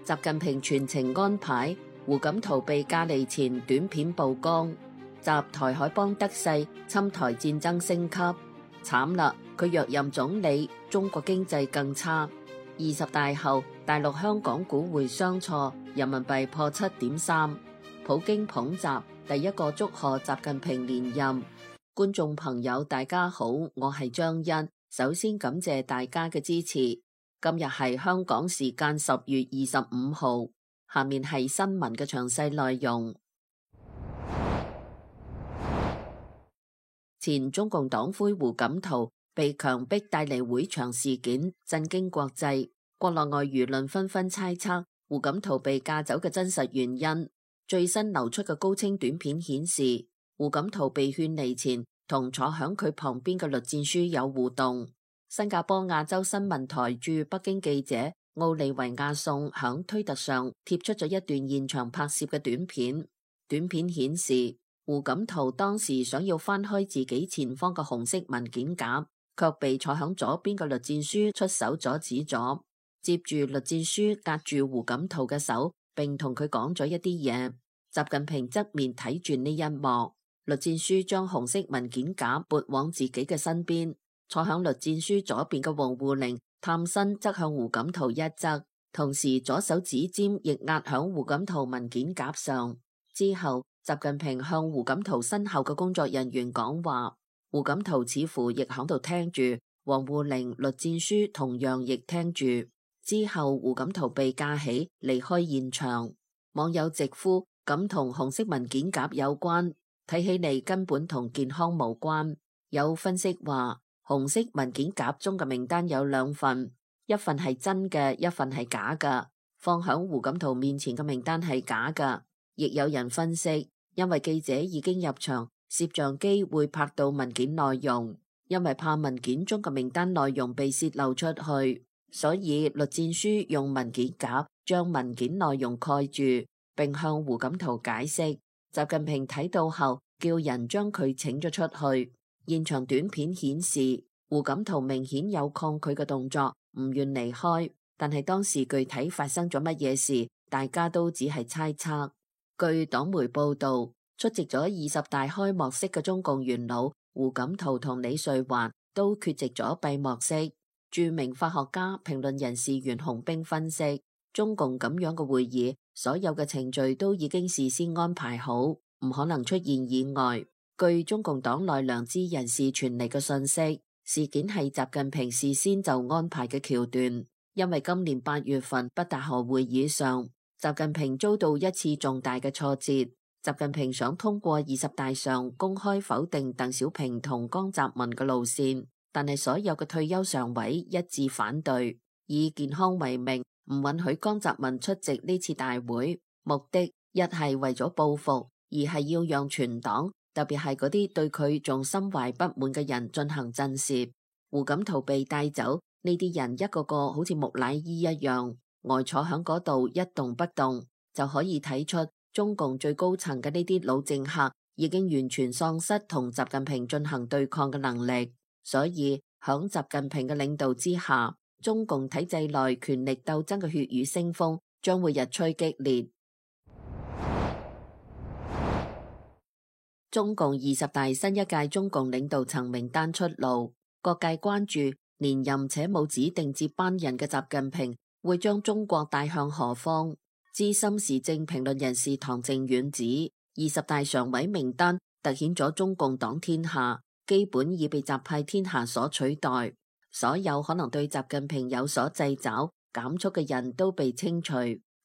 習近平全程安排，胡錦濤被隔離前短片曝光，集台海幫得勢，侵台戰爭升級，慘啦！佢若任總理，中國經濟更差。20大後，大陸香港股匯雙挫，人民幣破7.3。普京捧習，第一個祝賀習近平連任。觀眾朋友，大家好，我係張欣，首先感謝大家嘅支持。今日係香港時間10月25號，下面係新聞嘅詳細內容。前中共黨魁胡錦濤被強迫帶離會場事件震驚國際，國內外輿論紛紛猜測胡錦濤被架走嘅真實原因。最新流出嘅高清短片顯示，胡錦濤被勸離前同坐響佢旁邊嘅栗戰書有互動。新加坡亞洲新聞台駐北京記者奧利維亞宋響推特上貼出咗一段現場拍攝嘅短片。短片顯示，胡錦濤當時想要翻開自己前方嘅紅色文件夾，卻被坐響左邊嘅栗戰書出手阻止咗。接住栗戰書隔住胡錦濤嘅手，並同佢講咗一啲嘢。習近平側面睇住呢一幕，栗戰書將紅色文件夾撥往自己嘅身邊。坐響栗戰書左邊嘅王滬寧探身側向胡錦濤一側，同時左手指尖亦壓響胡錦濤文件夾上。之後，習近平向胡錦濤身後嘅工作人員講話，胡錦濤似乎亦響度聽住，王滬寧、栗戰書同樣亦聽住。之後，胡錦濤被架起離開現場。網友直呼咁同紅色文件夾有關，睇起嚟根本同健康無關。有分析話，紅色文件夾中嘅名單有2份，一份係真嘅，一份係假嘅。放響胡錦濤面前嘅名單係假嘅。亦有人分析，因為記者已經入場，攝像機會拍到文件內容，因為怕文件中嘅名單內容被洩漏出去，所以栗戰書用文件夾將文件內容蓋住，並向胡錦濤解釋。習近平睇到後，叫人將佢請咗出去。現場短片顯示，胡錦濤明顯有抗拒嘅動作，唔願離開。但係當時具體發生咗乜嘢事，大家都只係猜測。據黨媒報道，出席咗20大開幕式嘅中共元老胡錦濤同李瑞環都缺席咗閉幕式。著名法學家、評論人士袁洪兵分析，中共咁樣嘅會議，所有嘅程序都已經事先安排好，唔可能出現意外。據中共黨內良知人士傳嚟嘅信息，事件係習近平事先就安排嘅橋段。因為今年8月份北戴河會議上，習近平遭到一次重大嘅挫折。習近平想通過20大上公開否定鄧小平同江澤民嘅路線，但係所有嘅退休常委一致反對，以健康為名，唔允許江澤民出席呢次大會。目的一係為咗報復，二係要讓全黨，特別係嗰啲對佢仲心懷不滿嘅人進行震懾。胡錦濤被帶走，呢啲人一個個好似木乃伊一樣，呆坐響嗰度一動不動，就可以睇出中共最高層嘅呢啲老政客已經完全喪失同習近平進行對抗嘅能力。所以響習近平嘅領導之下，中共體制內權力鬥爭嘅血雨腥風將會日趨激烈。中共20大新一屆中共領導層名單出爐，各界關注連任且冇指定接班人嘅習近平會將中國帶向何方。資深時政評論人士唐靖遠指，20大常委名單凸顯咗中共黨天下基本已被習派天下所取代，所有可能對習近平有所掣肘減速嘅人都被清除，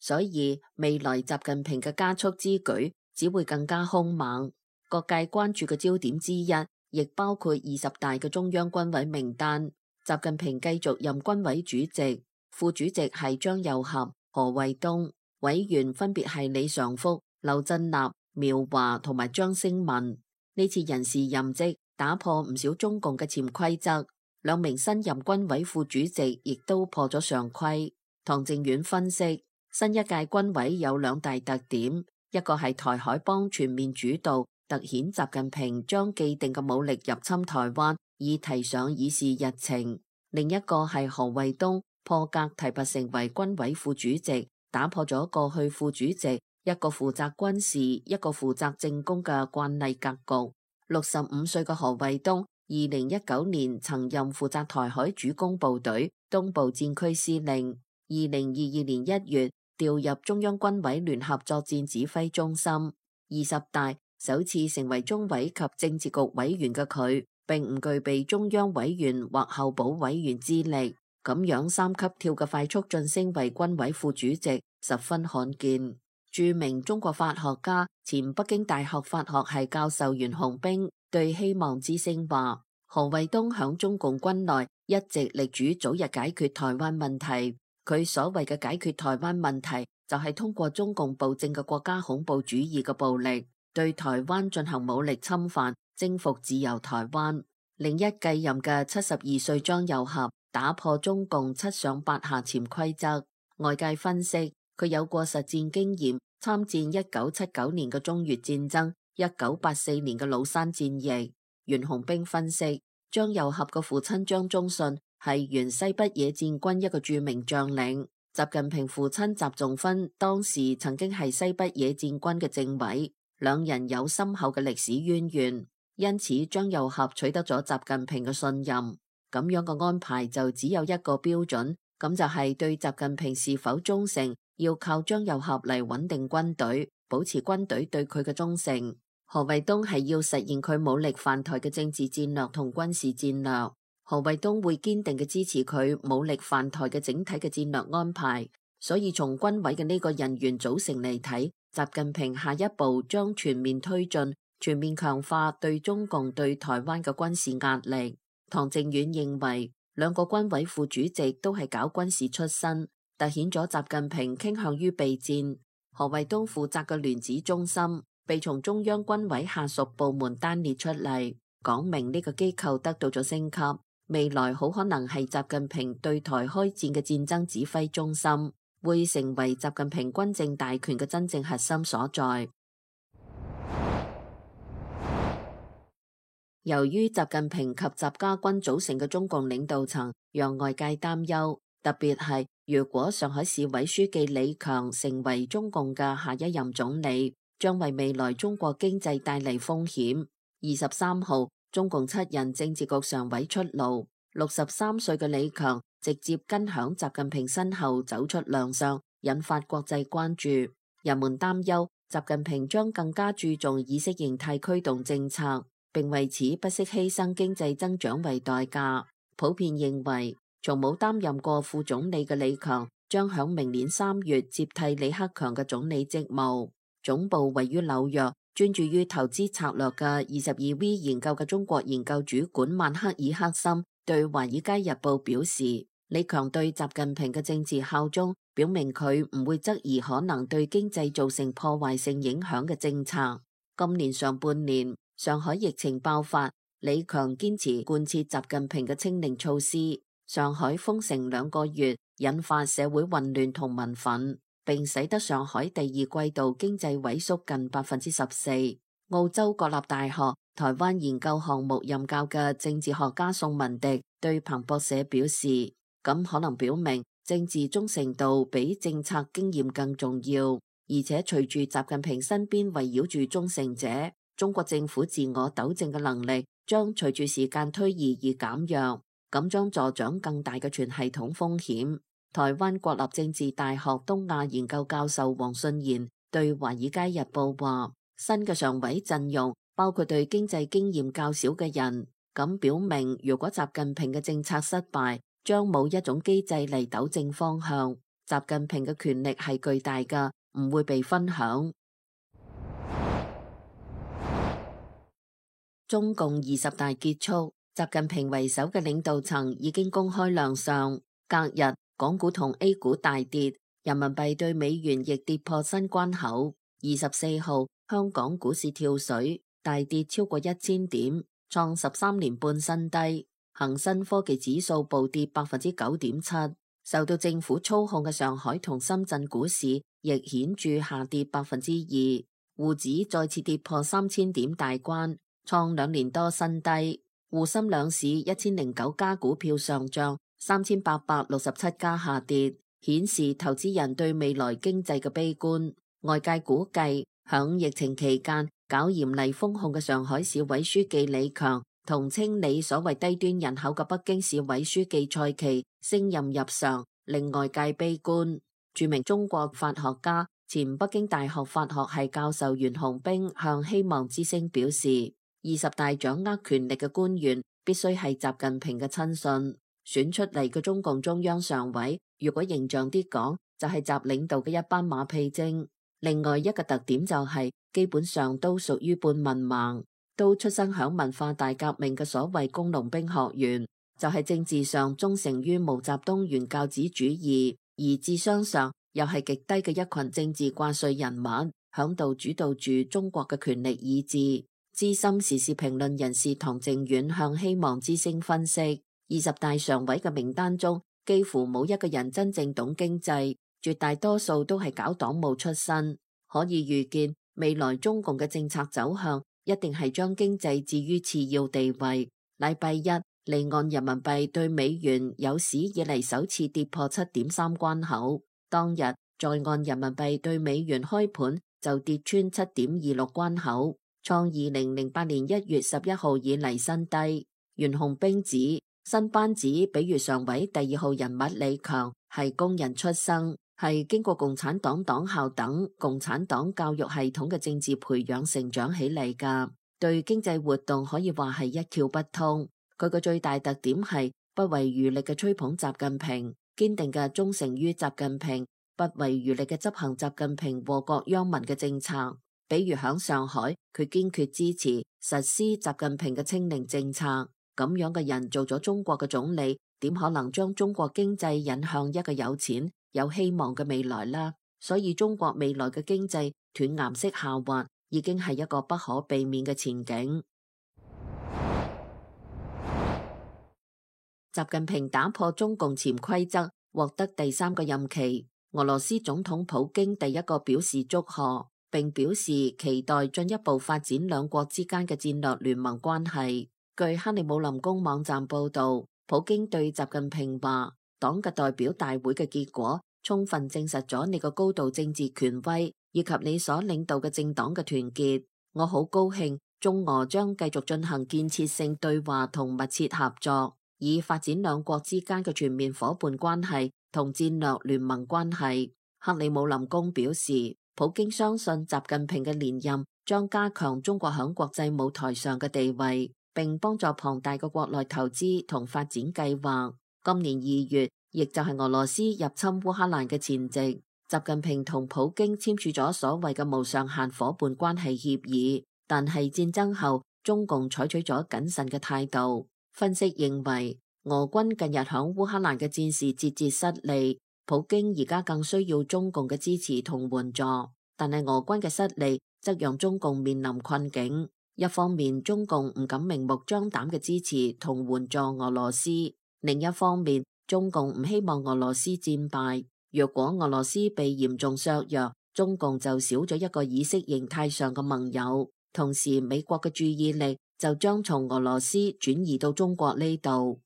所以未來習近平嘅加速之舉只會更加兇猛。各界關注嘅焦點之一，亦包括20大嘅中央軍委名單。習近平繼續任軍委主席，副主席係張又俠、何衛東，委員分別係李尚福、劉振立、苗華同埋張升民。呢次人事任職打破唔少中共嘅潛規則，2名新任軍委副主席亦都破咗常規。唐靖遠分析，新一屆軍委有2大特點，一個係台海幫全面主導，凸顯習近平將既定嘅武力入侵台灣已提上議事日程；另一個係何衛東破格提拔成為軍委副主席，打破咗過去副主席一個負責軍事、一個負責政工嘅慣例格局。65歲嘅何衛東，2019年曾任負責台海主攻部隊東部戰區司令，2022年1月調入中央軍委聯合作戰指揮中心。20大首次成為中委及政治局委員嘅佢，並唔具備中央委員或候補委員資歷，咁樣3級跳嘅快速晉升為軍委副主席，十分罕見。著名中國法學家、前北京大學法學系教授袁洪兵對希望之聲話：何衛東響中共軍內一直力主早日解決台灣問題。佢所謂嘅解決台灣問題，就係通過中共暴政嘅國家恐怖主義嘅暴力，對台灣進行武力侵犯，征服自由台灣。另一繼任嘅72歲張又俠打破中共7上8下潛規則，外界分析佢有過實戰經驗，參戰1979年嘅中越戰爭、1984年嘅廬山戰役。袁洪兵分析，張又俠嘅父親張宗遜係原西北野戰軍一個著名將領，習近平父親習仲勳當時曾經係西北野戰軍嘅政委，兩人有深厚嘅歷史淵源，因此張又俠取得咗習近平嘅信任。咁樣嘅安排就只有一個標準，咁就係對習近平是否忠誠，要靠張又俠嚟穩定軍隊，保持軍隊對佢嘅忠誠。何衛東係要實現佢武力犯台嘅政治戰略同軍事戰略。何衛東會堅定嘅支持佢武力犯台嘅整體嘅戰略安排，所以從軍委嘅呢個人員組成嚟睇，習近平下一步將全面推進、全面強化對中共對台灣嘅軍事壓力。唐靖遠認為，兩個軍委副主席都係搞軍事出身，凸顯咗習近平傾向於備戰。何衛東負責嘅聯指中心被從中央軍委下屬部門單列出嚟，講明呢個機構得到咗升級。未來好可能係習近平對台開戰嘅戰爭指揮中心，會成為習近平軍政大權嘅真正核心所在。由於習近平及習家軍組成嘅中共領導層讓外界擔憂，特別係如果上海市委書記李強成為中共嘅下一任總理，將為未來中國經濟帶嚟風險。23號中共7人政治局常委出爐，63歲嘅李強直接跟響習近平身後走出亮相，引發國際關注。人們擔憂習近平將更加注重意識形態驅動政策，並為此不惜犧牲經濟增長為代價。普遍認為，從冇擔任過副總理嘅李強將響明年3月接替李克強嘅總理職務。總部位於紐約，專注於投資策略嘅22V 研究嘅中國研究主管曼克爾克森對《華爾街日報》表示，李強對習近平嘅政治效忠，表明佢唔會質疑可能對經濟造成破壞性影響嘅政策。今年上半年，上海疫情爆發，李強堅持貫徹習近平嘅清零措施，上海封城2個月，引發社會混亂同民憤，並使得上海第二季度經濟萎縮近14%。澳洲國立大學台灣研究項目任教嘅政治學家宋文迪對彭博社表示，咁可能表明政治忠誠度比政策經驗更重要，而且隨住習近平身邊圍繞住忠誠者，中國政府自我糾正嘅能力將隨住時間推移而減弱，咁將助長更大嘅全系統風險。台灣國立政治大學東亞研究教授黃信賢對《華爾街日報》話，新嘅常委陣容包括對經濟經驗較少嘅人，咁表明如果習近平嘅政策失敗，將冇一種機制嚟糾正方向。習近平嘅權力係巨大㗎，唔會被分享。中共20大結束，習近平為首嘅領導層已經公開亮相。隔日，港股同 A 股大跌，人民幣對美元亦跌破新關口。24號，香港股市跳水，大跌超過1000點，創13年半新低。恒生科技指數暴跌9.7%，受到政府操控嘅上海同深圳股市亦顯著下跌2%。滬指再次跌破3000點大關，創2年多新低。滬深兩市1009家股票上漲，3867家下跌，顯示投資人對未來經濟嘅悲觀。外界估計，響疫情期間搞嚴厲封控嘅上海市委書記李強同清理所謂低端人口嘅北京市委書記蔡奇升任入常，令外界悲觀。著名中國法學家、前北京大學法學系教授袁洪兵向希望之聲表示，20大掌握權力嘅官員必須係習近平嘅親信，選出嚟嘅中共中央常委，如果形象啲講，就係習領導嘅一班馬屁精。另外一個特點就係，基本上都屬於半文盲，都出生響文化大革命嘅所謂工農兵學員，就係政治上忠誠於毛澤東原教旨主義，而智商上又係極低嘅一群政治掛帥人物，響度主導住中國嘅權力意志。資深時事評論人士唐靖遠向希望之聲分析，20大常委嘅名單中幾乎冇一個人真正懂經濟，絕大多數都係搞黨務出身，可以預見未來中共嘅政策走向一定係將經濟置於次要地位。禮拜一，離岸人民幣對美元有史以嚟首次跌破7.3關口，當日在岸人民幣對美元開盤就跌穿7.26關口，創2008年1月11號以嚟新低。袁洪兵指新班子比如常委第2號人物李強係工人出身，係經過共產黨黨校等共產黨教育系統嘅政治培養成長起嚟㗎，對經濟活動可以話係一竅不通。佢個最大特點係不遺餘力嘅吹捧習近平，堅定嘅忠誠於習近平，不遺餘力嘅執行習近平禍國殃民嘅政策。比如響上海，佢堅決支持實施習近平嘅清零政策。咁樣嘅人做咗中國嘅總理，點可能將中國經濟引向一個有錢有希望嘅未來啦？所以中國未來嘅經濟斷崖式下滑已經係一個不可避免嘅前景。習近平打破中共潛規則，獲得第3個任期。俄羅斯總統普京第一個表示祝賀，並表示期待進一步發展兩國之間嘅戰略聯盟關係。據克里姆林宮網站報道，普京對習近平話：黨嘅代表大會嘅結果充分證實咗你個高度政治權威以及你所領導嘅政黨嘅團結。我好高興，中俄將繼續進行建設性對話同密切合作，以發展兩國之間嘅全面夥伴關係同戰略聯盟關係。克里姆林宮表示，普京相信習近平嘅連任將加強中國響國際舞台上嘅地位，並幫助龐大嘅國內投資同發展計劃。今年2月，亦就係俄羅斯入侵烏克蘭嘅前夕，習近平同普京簽署咗所謂嘅無上限夥伴關係協議。但係戰爭後，中共採取咗謹慎嘅態度。分析認為，俄軍近日響烏克蘭嘅戰事節節失利，普京而家更需要中共嘅支持同援助。但係俄軍嘅失利，則讓中共面臨困境。一方面，中共唔敢明目張膽嘅支持同援助俄羅斯；另一方面，中共唔希望俄羅斯戰敗。若果俄羅斯被嚴重削弱，中共就少咗一個意識形態上嘅盟友，同時美國嘅注意力就將從俄羅斯轉移到中國呢度。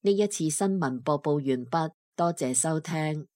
呢一次新聞播報完畢，多謝收聽。